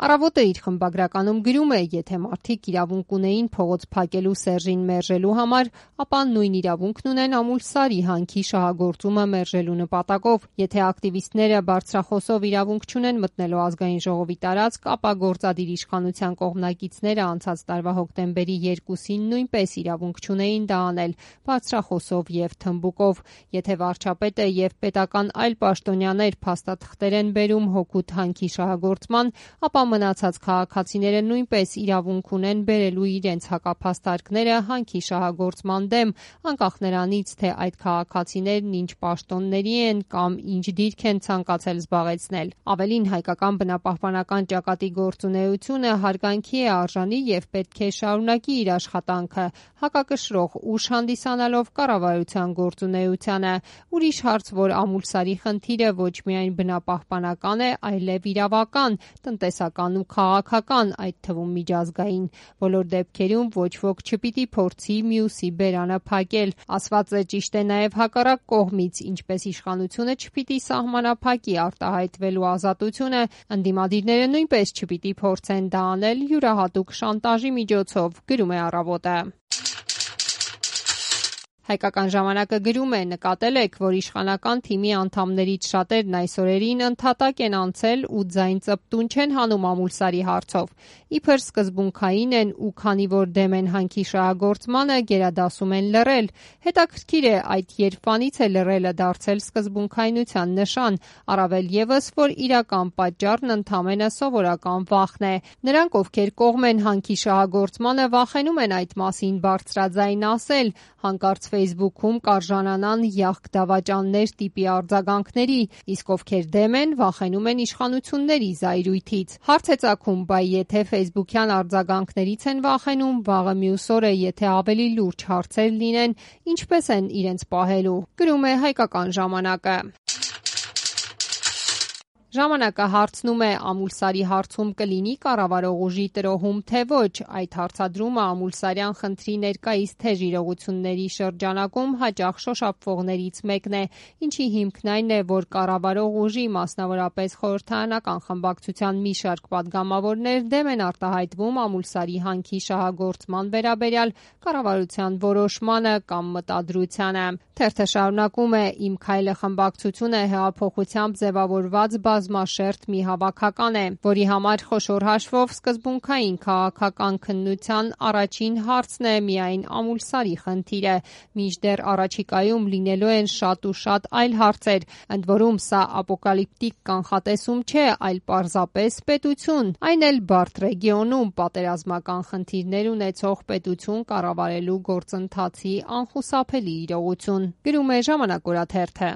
Առավոտը իր խմբագրականում գրում է, եթե մարդիկ իրավունք ունեին փողոց փակելու Սերժին մերժելու համար, ապա նույն իրավունքն ունեն Ամուլսարի հանքի շահագործումը մերժելու նպատակով։ Եթե ակտիվիստները բարձրախոսով իրավունք չունեն մտնելու ազգային ժողովի տարածք, ապա գործադիր իշխանության կողմնակիցները անցած տարվա հոկտեմբերի 2-ին նույնպես իրավունք չունեին դա անել բարձրախոսով եւ թմբուկով։ Եթե վարչապետը եւ պետական այլ պաշտոնյաներ փաստաթղթեր են բերում հօգուտ հանքի շահագործման, ապա մնացած քաղաքացիները նույնպես իրավունք ունեն բերելու իրենց հակափաստարկները հանքի շահագործման դեմ, անկախ նրանից, թե այդ քաղաքացիներն ինչ պաշտոնների են կամ ինչ դիրք են ցանկացել զբաղեցնել։ Ավելին, հայկական բնապահպանական ճակատի գործունեությունը հարգանքի է արժանի եւ պետք է շարունակի իր աշխատանքը, հակակշռող ուժ հանդիսանալով կառավարության գործունեությանը։ Ուրիշ հարց, որ Ամուլսարի խնդիրը ոչ միայն բնապահպանական է, այլև իրավական, տնտեսական ու քաղաքական, այդ թվում միջազգային։ Բոլոր դեպքերում ոչ ոք չպիտի փորձի մյուսի բերանը փակել։ Ասված է ճիշտ է նաև հակառակ կողմից, ինչպես իշխանությունը չպիտի սահմանափակի արտահայտվելու ազատությունը, ընդդիմադիրները նույնպես չպիտի փորձեն դա անել յուրահատուկ շանտաժի միջոցով, գրում է «Առավոտը»։ Հայկական ժամանակը գրում է. նկատել եք, որ իշխանական թիմի անդամներից շատերն այս օրերին ընդհատակ են անցել ու ձայն ծպտուն չեն հանում Ամուլսարի հարցով։ Իբր սկզբունքային են ու քանի որ դեմ են հանքի շահագործմանը, գերադասում են լռել։ Հետաքրքիր է, այդ երբանից է լռելը դարձել սկզբունքայնության նշան, առավել ևս, որ իրական պատճառն ընդամենը սովորական վախն է։ Նրանք, ովքեր կողմ են հանքի շահագործմանը, վախենում են այդ մասին բարձրաձայն ասել, հանկարծ Facebook-ում կարժանանան յախք դավաճաններ տիպի արձագանքների, իսկ ովքեր դեմ են, վախենում են իշխանությունների զայրույթից։ Հարց է ծագում, բայ եթե Facebook-յան արձագանքներից են վախենում, վաղը մյուս օրը, եթե ավելի լուրջ հարցեր լինեն, ինչպես են իրենց պահելու, գրում է Հայկական ժամանակը։ Ժամանակը հարցնում է. Ամուլսարի հարցում կլինի կառավարող ուժի տրոհում, թե ոչ։ Այդ հարցադրումը ամուլսարյան խնդրի ներկայիս թեժ իրողությունների շրջանակում հաճախ շոշափվողներից մեկն է, ինչի հիմքն այն է, որ կառավարող ուժի, մասնավորապես խորհրդարանական խմբակցության մի շարք պատգամավորներ դեմ են արտահայտվում Ամուլսարի հանքի շահագործման վերաբերյալ կառավարության որոշմանը կամ մտադրությանը։ Թերթը շարունակում է. Իմ քայլը խմբակցությունը հեղափոխությամբ ձևավորված բազմաշերտ մի հավաքական է, որի համար խոշոր հաշվով սկզբունքային քաղաքական քննության առաջին հարցն է միայն Ամուլսարի խնդիրը, մինչդեռ առաջիկայում լինելու են շատ ու շատ այլ հարցեր, ընդ որում սա ապոկալիպտիկ կանխատեսում չէ, այլ պարզապես պետություն, այն էլ բարդ ռեգիոնում պատերազմական խնդիրներ ունեցող պետություն կառավարելու գործընթացի անխուսափելի իրողություն, գրում է Ժամանակ օրաթերթը։